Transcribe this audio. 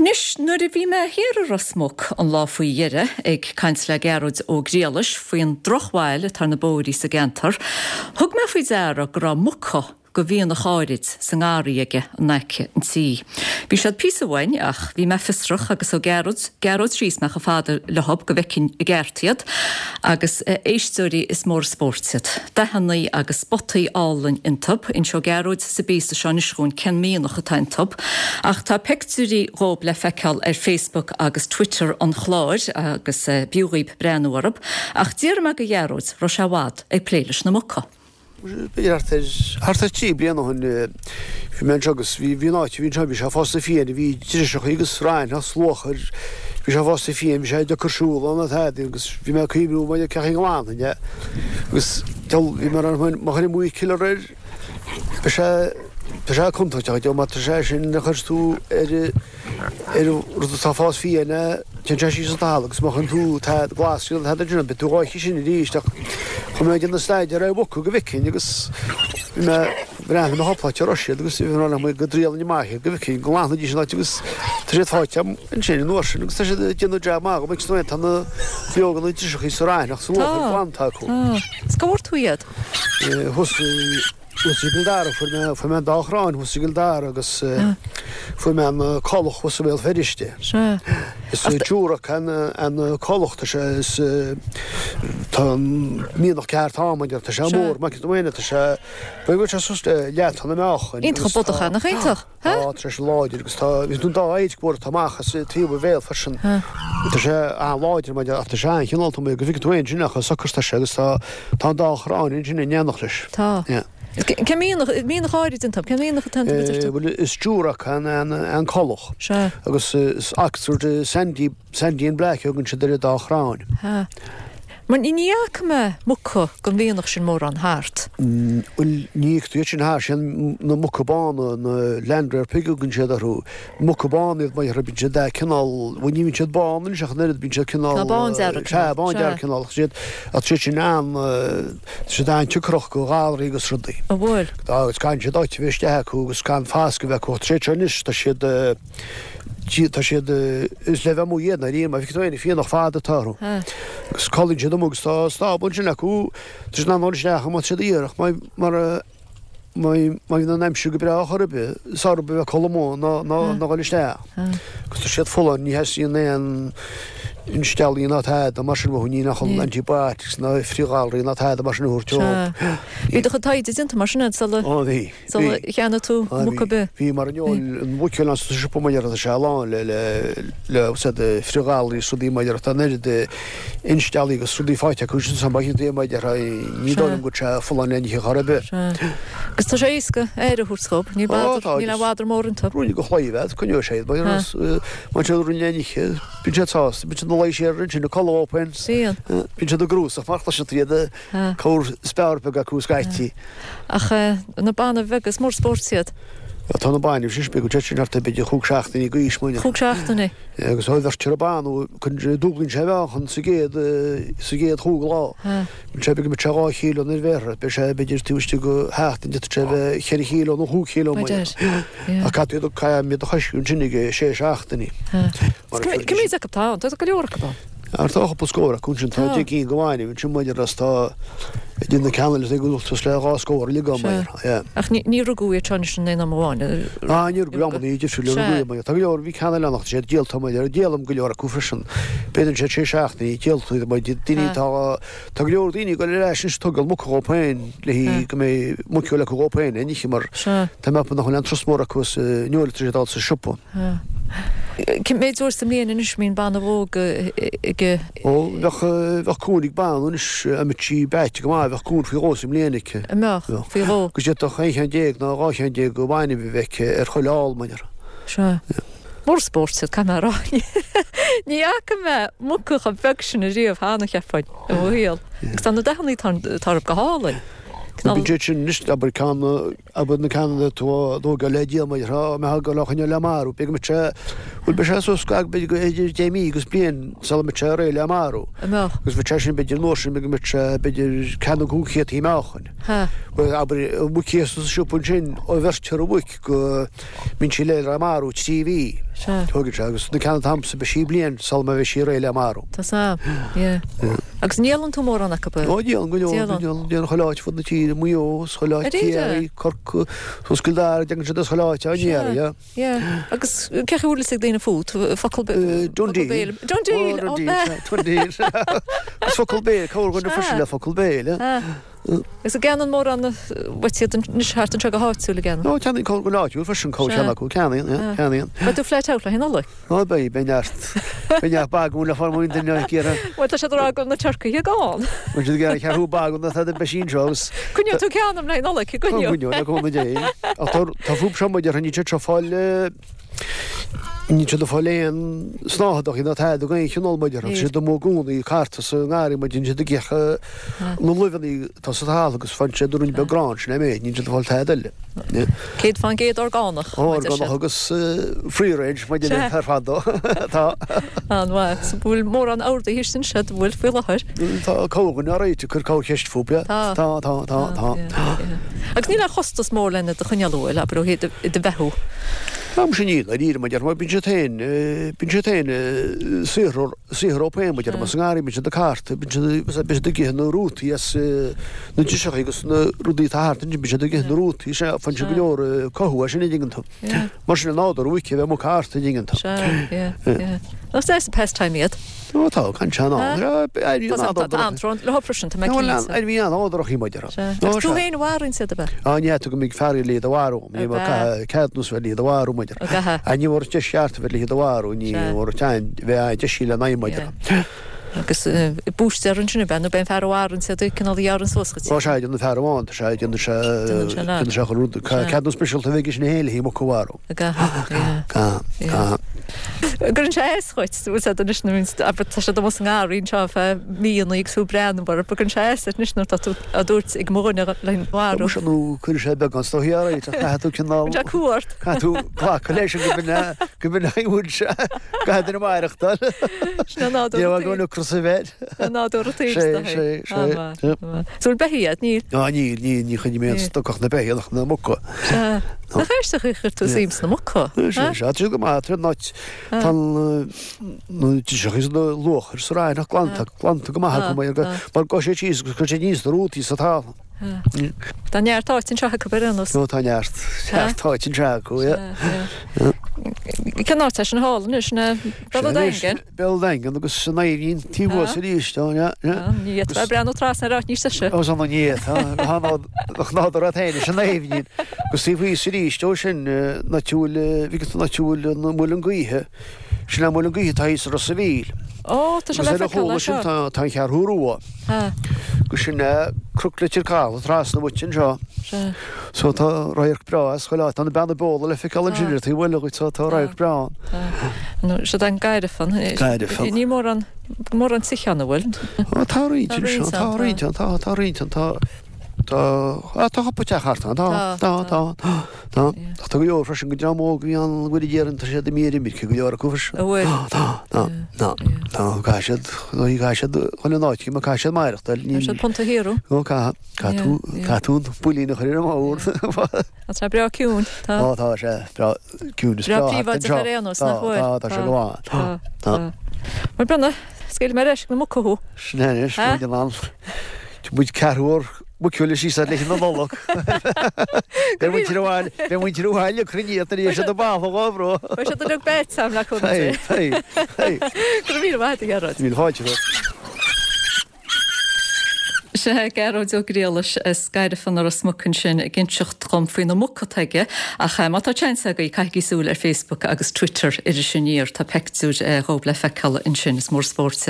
Anois, nuair a bhí mé thiar i Ros Muc an lá faoi dheireadh ag caint le Gearóid Ó Griallais faoin drochbhail atá ar na bóithrí sa gceantar, thug mé faoi deara go raibh muca go mhianach áirid sa ngarraí aige in aice an tí. Bhí siad píosa uainn ach bhí mé fiosrach agus ó Gearóid, Gearóid síos mé chomh fada leothab go bhfeicfinn i gceart iad agus a éisteoirí is mór an spórt iad. Dathannaí agus spotaí álainn iontub. Inseoidh Gearóid sa bpíosa seo anois dhúinn cén mianach atá iontub. Ach tá peictiúirí dhób le feiceáil ar Facebook agus Twitter an chláir agus b'fhiú dhaoib breathnú orthub. Ach d'fhiafraigh mé go Ghearóid raibh sé i bhfad ag plé leis na muca. B'fhéidir thart ar, thart ar 3 bliana ó shin bhí mé anseo agus bhí, bhí an áit a bhí anseo, bhí sé fosta fiáin, bhí driseachaí agus raithneach 's luachair, bhí sé fosta fiáin, bhí sé deacair siúl ann ná tada agus bhí mé ag cuimhniú maidir cén chaoi a nglanfainn é agus bhí mé má chuirim weed killer air beidh sé, tá sé contúirteach, má tá sé sin a chuir tú ar ar rud atá ag fás fiáin é, téann sé síos an talamh agus má chuireann tú tada glas nó tada ansin, beidh tú dhá ithe sin arís ach chuaigh mé ag déanamh staidéar ar mhuca go bhfeicfinn agus bhí mé bhreathnaigh mé chúpla áit a raibh siad agus bhí mé go dtriailfinn amach iad go bhfeicfinn go nglanfaidís an áit agus tá siad faighte agam ansin an uair sin agus tá siad ag déanamh jab maith agam agus tá na beoga na driseachaí sa raithneach sa luachair glanta acu. Tá. Is cá bhfuair tú iad? Thuas Thuas i gCill Dara, fuair mé, fuair mé an dá chrann thuas i gCill Dara agus fuair mé an coileach thuas i mBéal Feirste. Sea. Is Duroc an, an coileach, tá sé, is, tá an mianach ceart ann, mar tá sé mór, maith go tá sé, b'fhéidir go bhfuil sé suas le leath-tonna meáchain. Iontach bodach é, nach iontach? Tá, tá sé láidir agus tá, bhí an dá adharc mhór atá amach as taobh a bhéal freisin. Tá sé an-láidir mar ach tá sé an-chineálta amuigh go bhfeiceann tú é ansin ach socair tá sé agus tá, tá an dá chrann ansin in éineacht leis. Tá. Cén mianach, mianach áirid iontu, cén mianach atá iontu a deir tú? Bhuel is Duroc an, an, an coileach. Sea. Agus is Oxford Sandy, Sandy and Black a thugann siad ar an dá chrann. Sea. Mar ní fhaca mé muca den mhianach sin mórán thart. Bhuel, ní fhaca tú iad sin thart, sin na muca bána, na land reared pig a thugann siad orthu. Muca bána iad mar bíonn siad de cineál, bhuel ní bhíonn siad bán anois ach an oiread, bíonn siad cineál. Tá bándearg. Sea, bándearg cineál. Ach siad, ach siad sin an, tá siad an-tiocrach go ghalraí agus rudaí. An bhfuil? Tá, agus caitheann siad áit a bheith isteach acu agus gan fascadh a bheith acu. Ach tá siad seo anois, tá siad. Tá siad, is le bheith amuigh iad ndáiríre, má fheiceann tú aon fianach fada atá orthu. Agus codlaíonn siad amuigh agus tá stábla ansin acu, tá siad in ann dul isteach má tá siad iarrach, mar má bhíonn an aimsir go breá chor ar bith, is fearr a bheith ag codladh amuigh ná ná dhul isteach. Agus tá siad folláin, ní theastaíonn aon insteallaí ná tada mar sin uathu, ní nach antibiotics ná frithghalraí ná tada mar sin a thabhairt dóibh. Bhí do chuid taighde déanta mar sin agat sula. Ó bhí. Sula cheannaigh tú muc ar bith. Bhí mar an an mhuiceoil ann sa siopa mar tá sé lán le le le úsáid frithghalraí is rudaí mar tá an oiread insteallaí agus rudaí faighte acu sin san ba chinnte mar ní dóigh liom go bhfuil sé folláin le n-ithe chor ar bith. Agus tá sé éasca aire a thabhairt dhób, níl bother, níl aon bhother mór iontu. Roinne go chlaíomh iad, coinneoidh sé iad, má tá rud le n-ithe, bíonn siad sásta, bíonn siad ina luí siar ansin ag codladh ó Bíonn. Bíonn siad ag grúsach mar chloiseann tú iad Corr speabhar beag acu scaití. Ach na bainbh bheaga, is mór spóirt iad. Tá na bainbh sin beag, tá siad thart ar b'fhéidir chúig seachtainí d'aois mar. Chúig seachtainí. Agus ó bheirtear an banbh, dúblaíonn sé a mheáchan sa gcéad, sa gcéad chúig lá. Bíonn sé beag, bíonn sé 2 chíló nuair a bheirthear, beidh sé b'fhéidir taobh istigh de sheachtain, d'fhéadfadh sé a bheith cheithre chíló nó chúig chíló mar. Ach caithfidh tú iad, caithfidh iad a choisciú ansin ag sé seachtainí. Cé mhéad acu atá ann? Tá go leor acu ann. Ach tá cúpla scór acu ansin, tá 10 gcinn de bhainbh ansin maidir is tá idir na ceanna eile ag dul suas le 2 scór uilig agam air, yeah. Ach ní rugadh iad seo anois in aon am amháin? Ah, ní rugadh amannaí difriúla rugadh iad, tá go leor, bhí ceann eile ann ach tá siad díolta maidir, díolaim go leor acu freisin. B'fhéidir siad sé seachtainí díolta iad maidir, daoine atá, tá go leor daoine ag dul ar ais anois ag tógáil muca dhóibh féin le go mbeidh muiceoil acu dhóibh féin le n-ithe mar tá mé ag ceapadh nach bhfuil aon trust mór acu sa fheoil atá siad a fháil sa siopa. Cé mhéad uair sa mbliain anois a mbíonn banbh óg ag. Ó, bheadh, bheadh cún ag banbh anois, dá mbeadh sí beaite go maith, bheadh cún faoi dhó sa mbliain aici. An mbeadh? Faoi dhó? Agus d'fhéadfadh aon cheann déag nó 12 cheann de bhainbh a bheith aici ar chuile ál, mar. Sea. Mór spóirt iad, caithfidh mé a rá. Ní fhaca mé muca chomh beag sin ariamh cheana, cheapfainn, i mo shaol. Agus tá na dathanna atá orthu go hálainn. Bíonn siad sin anois, abair, ceann Abair na ceanna atá á dtógáil le díol mar tá mé ag dul á choinneáil le marú. B'fhéidir go mbeidh sé, bhuel beidh sé suas go b'fhéidir go idir 10 mí agus bliain sula mbeidh sé réidh le marú. An mbeadh? Agus bheadh sé sin b'fhéidir an uair sin b'fhéidir go mbeadh sé b'fhéidir ceathair nó 500 meáchain. Ha. Bhuel abair an mhuic thíos sa siopa ansin ó bheirtear an mhuic go mbíonn sí réidh le marú 3 mhí. Sea. Tógann sé, agus na ceann atá a'msa, beidh sí bliain sula mbeidh sí réidh le marú. Tá 's a'm, yeah. Agus an ndíolann tú mórán acu? Ó, díolann go leor, Díolann. díolann, díolann chuile áit fud na tíre, Maigh Eo, is chuile áit, Ar éirigh? Ciarraí, Corcaigh, suas Cill Dara, déanann siad as chuile áit, á, Sea. iarraidh, yeah. Yeah. Agus cén chaoi a bhfuil fhios ag daoine fút? Focal Uh, focal Dundee. béil. Dundee! Ó, Ó, Dundee, b'ea. sea, Dundee. Agus focal béil, corrdhuine Sea. freisin le focal béil, yeah. Ah. Agus an gceannaíonn mórán uait iad anois thart anseo go háitiúil, an gceannaíonn? Ó, ceannaíonn corrdhuine áitiúil freisin, corrcheann acu, ceannaíonn, yeah, ceannaíonn. Beidh tú flat out le haghaidh Nollaig? Ó, beidh, beidh neart, beidh neart bagún le fáil amuigh an duine ag iarraidh. Bhuel, tá siad ag rá go bhfuil na turcaithe gann. Bhfuil siad ag iarraidh ceathrú bagún atá de beidh anseo agus. Coinneoidh tú ceann dom le haghaidh Nollaig, coinneoidh. Coinneoidh, le cúnamh Dé. Ach tá, tá fúb seo muid ar níl siad seo fáil, Níl siad ag fáil aon snáthaidí ná tada d'aon chineál muid orthu. Tá siad amuigh i gcónaí ag cartadh sa ngarraí muid, níl siad ag ithe na luibheanna atá sa talamh agus faigheann siad an ruainne beag grán sin é méid, níl siad ag fáil tada eile. 100% orgánach, mar a deir siad. Orgánach agus free range muid ar fad dó. Tá. An-mhaith. So bhfuil mórán ordaithe istigh ansin, bhfuil faoi láthair? Tá corrdhuine á réiteach, cuir corrcheist fúthu. Tá. Tá, tá, tá, tá. Agus níl aon chostas mór lena do choinneáil, an bhfuil, abair ó thaobh do bheathú? Tá muise níl, dáiríre muid mar bíonn siad féin, bíonn siad féin saothrú, saothrú féin muid ar sa ngarraí, bíonn siad ag cartadh, bíonn siad, bíonn siad ag ithe na rútaí as na driseacha agus na rudaí atá thart ansin, bíonn siad ag ithe na rútaí, sea, faigheann siad go leor cothú as sin an dtuigeann tú. Mar sin an nádúr uait a bheith amuigh ag cartadh an dtuigeann tú. Sea, yeah, yeah. Nach deas an pastime iad? Ó tá, gan sean ann. Tá tá an-trón leo freisin, tá mé cinnte. Ainmhí an-nádúrach í muid ar. Sea. Agus tú féin a mharaíonn iad, ab ea? Á ní fhéadfadh go mbeidh fear le iad a mharú. Ní bheadh ceadúnas bheith le iad a mharú muid ar. Á ní bhfuair deis cheart a bheith le iad a mharú, ní bhfuair bheith á deis í le n-aghaidh muid ar. Agus búistéir ansin ab ea nó b'é an fear a mharaíonn iad cineál a ghearrann suas dhuit? Ó sea, déanann fear amháin, tá sé, déanann sé, déanann sé chuile rud. Ceadúnas speisialta a bheith aige sin féin le haghaidh muc a mharú. Go. Cuireann sé as dhuit, bhfuil sé anois nuair abair tá siad amuigh sa ngarraí anseo ar feadh míonna agus tú ag breathnú orthu, cuireann sé as duit anois nuair atá tú á dtabhairt ag mo dhuine le marú. Muise nó cuireann sé beagán is dóichí ort ach caithfidh tú cineál. Cuireann sé cumha ort. Caithfidh tú glacadh leis go b'in go b'in a bhfuil sé caithfidh duine maireachtáil. Sin é nádúr Ní bheadh an ocras a bheith. Sin é nádúr an tsaoil Sé, is dóichí. sé, sé. So bhfuil beithígh agat? Níl. Ná níl, níl, ní choinním aon stoc ach na beithígh ach na muca. Sea. Nach aisteach a chuir tú suim sna muca? Sea, sea, tá siad go maith, tá tá na driseacha is na luachair sa raithneach glanta, glanta go maith acu mar mar gabhann siad síos agus cuireann siad aníos na rútaí sa talamh. Tá neart áit anseo acu ar aon nós. Ó tá neart, neart áit anseo acu, yeah. Cén áit é sin thall anois, sin é Béal an Daingin? Béal an Daingin agus an Aibhnín taobh thuas arís, tá, yeah, yeah. Ní fhéadfá breathnú trasna ar áit níos deise. Ó, san ní fhéadfá, nach nádúr ort féin is an Aibhnín. Agus taobh thíos arís ó sin, an áit a bhfuil, bhí an áit a bhfuil an Muileann Gaoithe, sin an Muileann Gaoithe atá thíos i Ros a' Mhíl. Ó, tá sé le Agus ar a feiceáil chúla sin anseo. tá, tá an Cheathrú Rua. Agus sin é Cnoc Leitir Cathail trasna uait anseo. Sea. So tá radharc breá as chuile áit. Tá na Beanna Beola le feiceáil ansin ar taobh eile dhuit, so tá radharc breá ann. Tá. Nó siod an Gairifean. Gairifean. Níl mórán, mórán tithe ann, an bhfuil? Ó tá roinnt Tá roinnt anseo, tá ann, tá. roinnt ann, tá, tá roinnt ann, tá, tá, á tá cúpla teach thart ann, tá, Tá, tá, tá. tá, tá. Yeah. Ach tá go leor freisin den dream óg a bhí ann go bhfuil ag iarraidh, tá siad imithe ar imirce, go leor acu freisin. An bhfuil? Tá, tá, Yeah, tá, yeah. tá, caithfidh siad, caithfidh siad chun an áit, caithfidh siad maireachtáil, Tá siad níl, punt a shaothrú. ó caithfidh. Caithfidh tú, caithfidh tú an builín a chur ar an mbord. Tá sé breá ciúin, tá. Ó tá sé breá ciúin, is Breá breá thart príobháideach anseo. ar aon nós, Tá, nach bhfuil? tá, tá sé go maith. Tá, Tá. tá. Bhuel Brenna, scaoilfidh mé ar ais ag na muca thú. Sin é anois, Ha? muid in ann. Muid ceathrú uair muiceola síos ar leith na Nollag. Beidh muintir an bhaile, beidh muintir an bhaile cruinnithe tar éis na balla dhóibh. Beidh siad uilig báite agam le cúnamh Dé. Hei, hei, hei. Go raibh míle maith agat, a Ghearóid. Míle fáilte romhat. Sea, Gearóid Ó Griallais as Gairifean i Ros Muc ansin ag inseacht dhom faoi na muca atá aige ach má tá seans agaibh caithigí súil ar Facebook agus Twitter Iris Aniar, tá peictiúir dhóibh le feiceáil ansin, is mór spóirt iad.